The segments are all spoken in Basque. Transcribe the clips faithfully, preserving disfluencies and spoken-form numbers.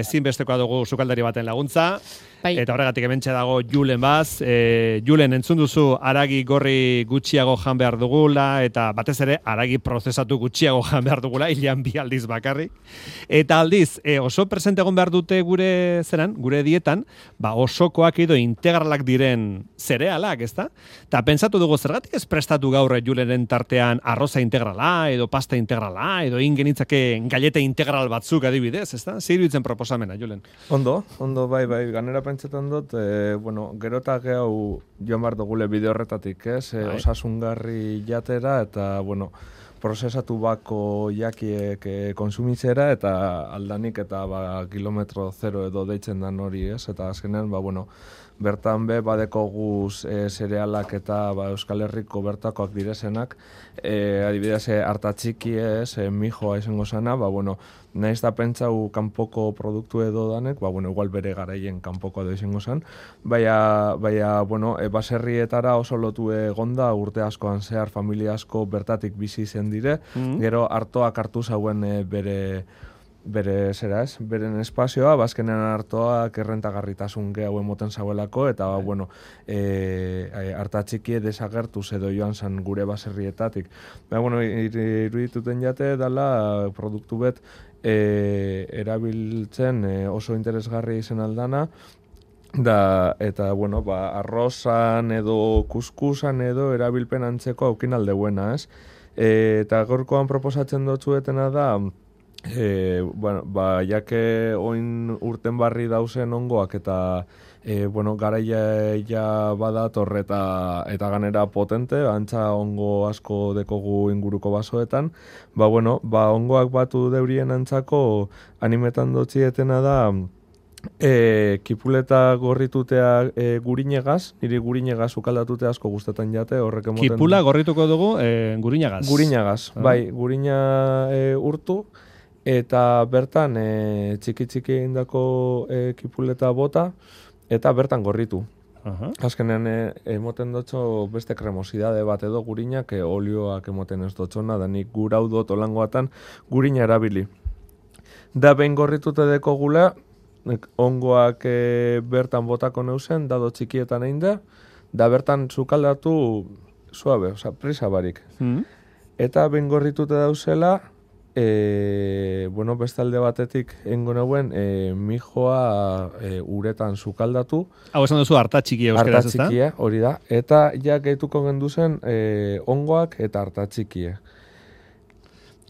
Ezinbestekoa dugu sukaldari baten laguntza, bai. Eta horregatik hementxe dago Julen Baz. E, Julen, entzun duzu aragi gorri gutxiago jan behar dugula, eta batez ere aragi prozesatu gutxiago jan behar dugula, hilean bi aldiz bakarrik. Eta aldiz, e, oso presente egon behar dute gure zeran, gure dietan, ba osokoak edo integralak diren zerealak, ezta? Eta pentsatu dugu zergatik ez prestatu gaur Julenen tartean arroza integrala, edo pasta integrala, edo ingenitzake galleta integral batzuk adibidez, ezta? Zer iruditzen proposamena, Julen? Ondo, ondo, bai, bai, ganera pentsetan dut, e, bueno, gero eta gehiago joan behar dugule bide horretatik, ez? E, osasungarri jatera eta, bueno, prozesatu bako jakiek e, konsumitzera eta aldanik eta ba, kilometro zero edo deitzen dan hori, ez? Eta azkenean, ba, bueno, bertan be badeko guz e, zerealak eta ba, Euskal Herriko bertakoak direzenak, e, adibidez, e, hartatxiki ez, e, mijoa izango zana, ba, bueno, nahiz da pentsau kanpoko produktu edo danek, ba, bueno, igual bere garaien kanpoko edo izango zan, baina, baina bueno, e, baserrietara oso lotu egonda urte askoan zehar familia asko bertatik bizi zen dire, mm. gero hartoak hartu zauen e, bere bere zera ez, beren espazioa, bazkenean hartoak errentagarritasun gehiago emoten zauelako, eta ba, bueno, e, hartatxikie desagertuz edo joan zan gure baserrietatik. Ba, bueno, irudituten jate dala produktu bet e, erabiltzen e, oso interesgarri izen aldana, da, eta, bueno, ba, arrozan edo kuskusan edo erabilpen antzeko aukin aldeuena, ez? E, eta gorkoan proposatzen dotzuetena da, E, bueno, ba, jake oin urten barri dauzen ongoak eta e, bueno, garaia ja badator eta, eta ganera potente, antza ongo asko dekogu inguruko basoetan, ba, bueno, ba, ongoak batu deurien antzako animetan dotzietena da e, kipuleta gorritutea e, gurinegaz, niri gurinegaz ukaldatutea asko gustetan jate, horrek emoten... Kipula gorrituko dugu e, gurinegaz. Gurinegaz, ah. bai, gurina e, urtu, eta bertan e, txiki-txiki egindako e, kipuleta bota, eta bertan gorritu. Uh-huh. Azkenean e, emoten dotxo beste kremosidade bat edo gurinak, e, olioak emoten ez dotxona, da nik gurau dut olangoatan gurina erabili. Da behin gorritute deko gula, ongoak e, bertan botako neuzen, dado txikietan egin da, da bertan zukaldatu suabe, oza, prisa barik. Uh-huh. Eta behin gorritute dauzela, E, bueno, bestalde batetik engo nauen e, mijoa e, uretan sukaldatu. Hau esan duzu hartatxikia euskeraz, ezta? Hartatxikia, hori da. Eta ja gehituko genduzen e, ongoak eta hartatxikia.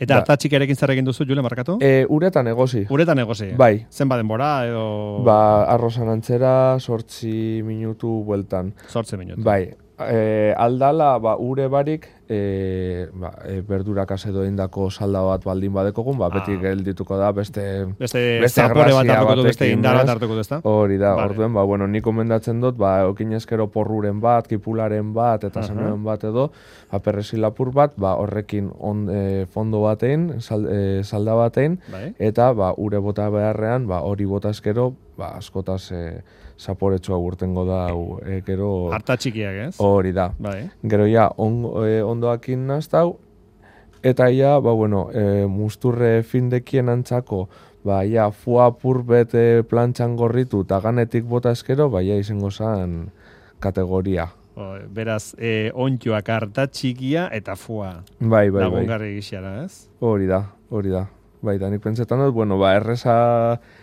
Eta hartatxikiarekin zer egin duzu, Jule, markatu? E, uretan egosi. Uretan egosi? Bai. Zenba denbora edo... Ba, arrozan antzera, sortzi minutu bueltan. Sortzi minutu. Bai. E, aldala, ba, ure barik, e, ba, e, berdurakaz edo indako salda bat baldin badekogun, ba, beti ah. geldituko da, beste... Beste, beste zapore bat hartuko du, beste indar bat hartuko du, ezta? Hori da, vale. Orduen, ba, bueno, nik komendatzen dut, ba, okinezkero porruren bat, kipularen bat, eta uh-huh. zanuen bat edo, ba, perresilapur bat, ba, horrekin on, e, fondo batein, sal, e, salda batein, bai. Eta, ba, ure bota beharrean, ba, hori bota eskero, ba, askotaz... E, zaporetsua urtengo da, e, gero... Harta txikiak, ez? Hori da. Bai. Gero ja, on, e, ondoakin naztau, eta ja, ba, bueno, e, musturre findekien antzako, ba, ja, fua purbet plantxan gorritu, eta ganetik bota eskero, ba, ja, izango zan kategoria. O, beraz, e, ontioak harta txikia eta fua. Bai, bai, bai. Lagungarri gixara, ez? Hori da, hori da. Bai, da, nik pentsetan dut, bueno, ba, erresa...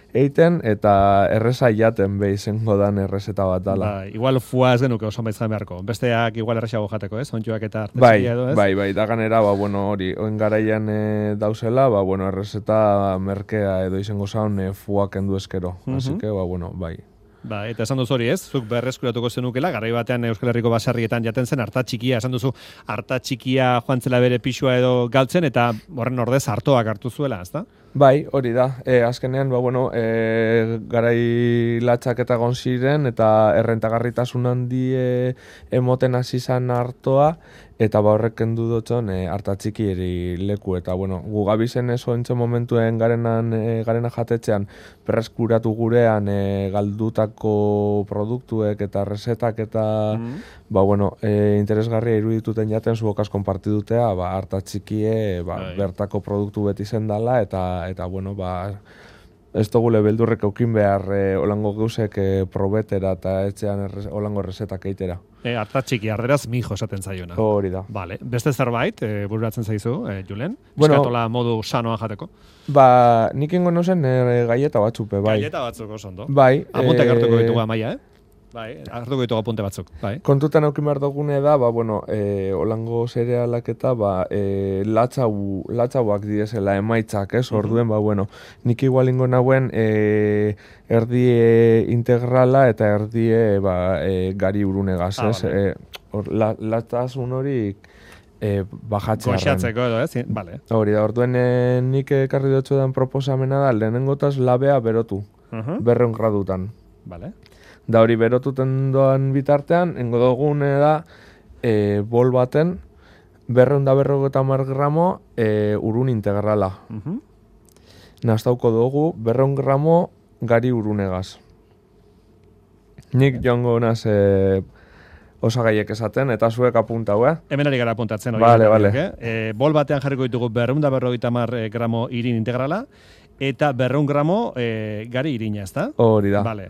eiten eta erresa jaten behi zengo dan errezeta bat dala. Ba, igual fua ez genuke oso baitzan beharko. Besteak igual erresago jateko, ez? Ontxoak eta artezia bai, edo, ez? Bai, bai, da ganera, ba, bueno, hori, oen garaian e, dauzela, ba, bueno, errezeta merkea edo izango zaun e, fuak endu eskero. Uh-huh. Así que, ba, bueno, bai. Ba, eta esan duzu hori, ez? Zuk berreskuratuko zenukela, garai batean Euskal Herriko baserrietan jaten zen harta txikia, esan duzu harta txikia joan zela bere pixua edo galtzen, eta horren ordez hartoak hartu zuela, ezta? Bai, hori da. E, azkenean, ba, bueno, e, garai latxak eta gonziren, eta errentagarritasun handi e, emoten hasi zan hartoa, eta ba horrek kendu dutxon e, harta txikieri leku. Eta, bueno, gu gabizen eso entzo momentuen garenan, e, garena jatetxean, berreskuratu gurean e, galdutako produktuek eta resetak eta, mm. ba, bueno, e, interesgarria irudituten jaten zuokaz konpartidutea, ba, harta txikie, ba, bertako produktu beti zendala, eta eta bueno, ba, ez dugule beldurrek eukin behar e, olango geusek e, probetera eta etxean errez, olango errezetak eitera. E, Artatxiki arderaz mijo esaten zaiona. Hori da. Vale. Beste zerbait, e, bururatzen zaizu, e, Julen? Bueno, Eskatola modu sanoa jateko? Ba, nik ingo nozen e, gaieta batzupe, bai. Gaieta batzuk oso ondo. Bai. Apuntek e, hartuko ditugu amaia, eh? Bai, hartuko ditugu apunte batzuk, bai. Kontutan eukin behar dugune da, ba, bueno, e, olango zerealak eta, ba, e, latzau, latzauak direzela emaitzak, ez, orduen, ba, bueno, nik igual ingo nauen e, erdie integrala eta erdie, ba, e, gari urunegaz, ah, ez, vale. e, or, la, latazun hori e, bajatzearen. Goxatzeko edo, ez? Vale. Hori da, orduen e, nik ekarri dutxo den proposamena da, lehenengotaz labea berotu, Uh -huh. berreun gradutan. Vale. Da hori berotuten doan bitartean, engo dugune da, e, bol baten, berreun da berrogeta mar gramo e, urun integrala. Uh -huh. Nastauko dugu, berreun gramo gari urunegaz. Nik joango naz e, osagaiek esaten, eta zuek apuntau, eh? Hemen ari gara apuntatzen. Vale, vale. Eh? E, bol batean jarriko ditugu berreun da berrogeita mar gramo irin integrala, eta berreun gramo e, gari irina, ezta? Hori da. Vale.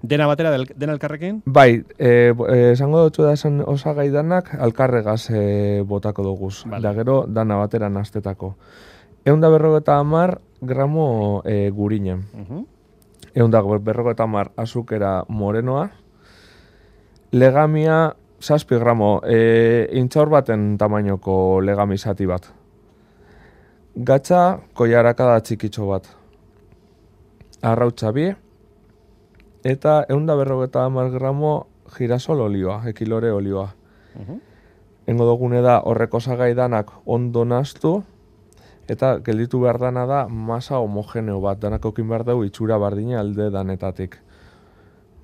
Dena batera, del, dena elkarrekin? Bai, e, e, esango dutxu da esan osagai danak, alkarregaz e, botako duguz. Vale. Da gero, dana batera nastetako. Egun da berrogeta amar gramo e, gurinen. Uh -huh. Egun da berrogeta amar azukera morenoa. Legamia, zazpi gramo, e, intxaur baten tamainoko legami zati bat. Gatza, koiarakada txikitxo bat. Arrautza bi. Eta egun da berrogeta amar gramo girasol olioa, ekilore olioa. Uh -huh. Engo dugune da horreko osagai danak ondo nastu, eta gelditu behar dana da masa homogeneo bat, danak okin behar dugu itxura bardina alde danetatik.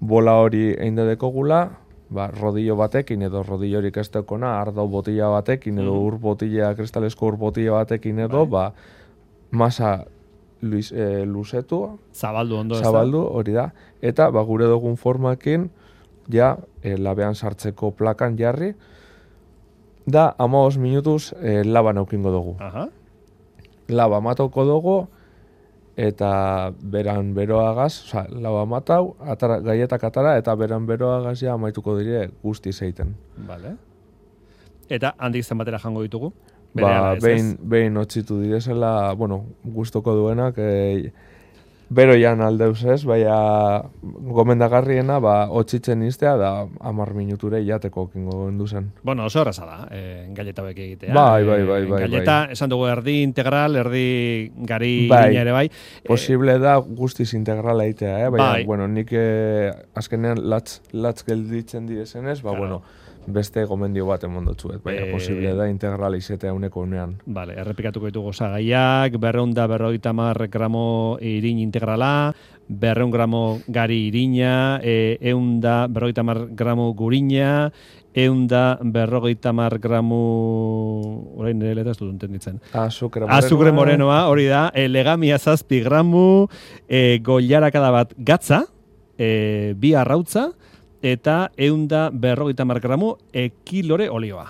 Bola hori egin dedekogula, ba, rodillo batekin edo rodillorik ez dekona, ardau botila batekin edo ur botila, kristalesko ur botila batekin edo, ba, masa Luis, e, luzetu, zabaldu ondo, zabaldu, hori da, eta ba, gure dugun formakin, ja, e, labean sartzeko plakan jarri, da, hamabost minutuz e, laban aukingo dugu. Aha. Laba matauko dugu, eta beran beroagaz, oza, laba matau, atara, gaietak atara, eta beran beroagaz ja amaituko dire guzti zeiten. Vale. Eta handik zenbatera jango ditugu? Ba, behin, behin otxitu direzela, bueno, gustoko duenak, e, bero jan aldeuz ez, baina gomendagarriena, ba, otxitzen iztea, da hamar minuture jateko kingo gendu zen. Bueno, oso erraza da, e, galleta hauek egitea. Bai, bai, bai, bai. Galleta, bai. esan dugu, erdi integral, erdi gari bai, irina ere bai. Posible da guztiz integrala egitea, eh? Baina, bai. bueno, nik eh, azkenean latz, latz gelditzen direzenez, ba, claro. bueno, beste gomendio bat emondotzuet, baina e... posible da integrala izetea uneko unean. Vale, errepikatuko ditugu osagaiak, berreun da berrogeita hamar gramo irin integrala, berreun gramo gari irina, e, eun da berrogeita hamar gramo gurina, eun da berrogeita hamar gramo, orain nire leta ez dut entenditzen. Azukre morenoa. Azukre morenoa, hori da, e, legamia zazpi gramu, e, goiarakada bat gatza, e, bi arrautza, eta eunda berrogeita hamar gramu ekilore olioa.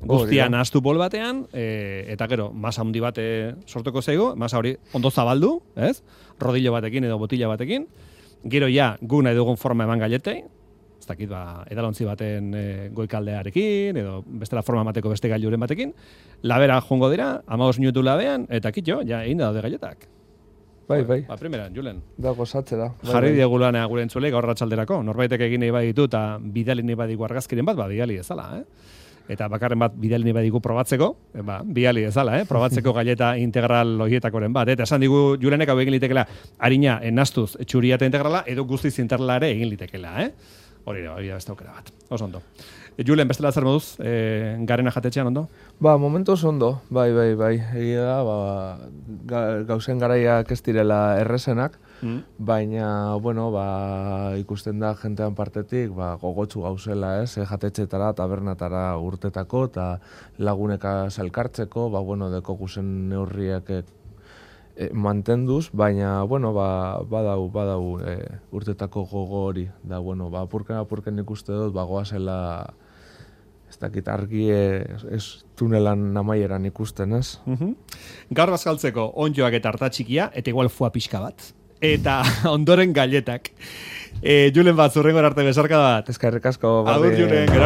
Guztia nahastu bol batean, e, eta gero, masa handi bat e, sortuko zaigu, masa hori ondo zabaldu, ez? Rodillo batekin edo botila batekin. Gero ja, gu nahi dugun forma eman gailetei, ez dakit, ba, edalontzi baten e, goikaldearekin, edo bestela forma emateko beste gailuren batekin. Labera jongo dira, hamabost minutu labean, eta kitxo, ja, egin daude gailetak. Bai, bai. Ba, primeran, Julen. Da, gozatzera. Bai, Jarri bai. diegu lanea gure entzule gaur ratxalderako. Norbaitek egin nahi baditu eta bidali nahi badiku argazkiren bat, ba, bidali ezala, eh? Eta bakarren bat bidali nahi badiku probatzeko, e, ba, bidali ezala, eh? Probatzeko galleta integral horietakoren bat. Eta esan digu Julenek hau egin litekela harina enastuz txuria eta integrala, edo guztiz integrala ere egin litekela, eh? Hori da, hori da beste aukera bat. Oso ondo. Julen, bestela zer moduz, e, garena jatetxean ondo? Ba, momentuz ondo, bai, bai, bai. Egia da, ba, ga, gauzen garaiak ez direla errezenak, mm. baina, bueno, ba, ikusten da jentean partetik, ba, gogotsu gauzela, ez, e, jatetxetara, tabernatara urtetako, eta laguneka salkartzeko, ba, bueno, deko guzen neurriak e, e, mantenduz, baina, bueno, ba, badau, badau e, urtetako gogo hori, da, bueno, ba, apurken, apurken ikuste dut, ba, goazela, ez dakit, argi ez tunelan amaieran ikusten, ez? Uh-huh. Gaur bazkaltzeko onjoak eta hartatxikia, eta igual fua pixka bat. Eta ondoren galetak. E, Julen bat, zurrengor arte besarka bat. Eskerrik asko. Agur, Julen, gerarte.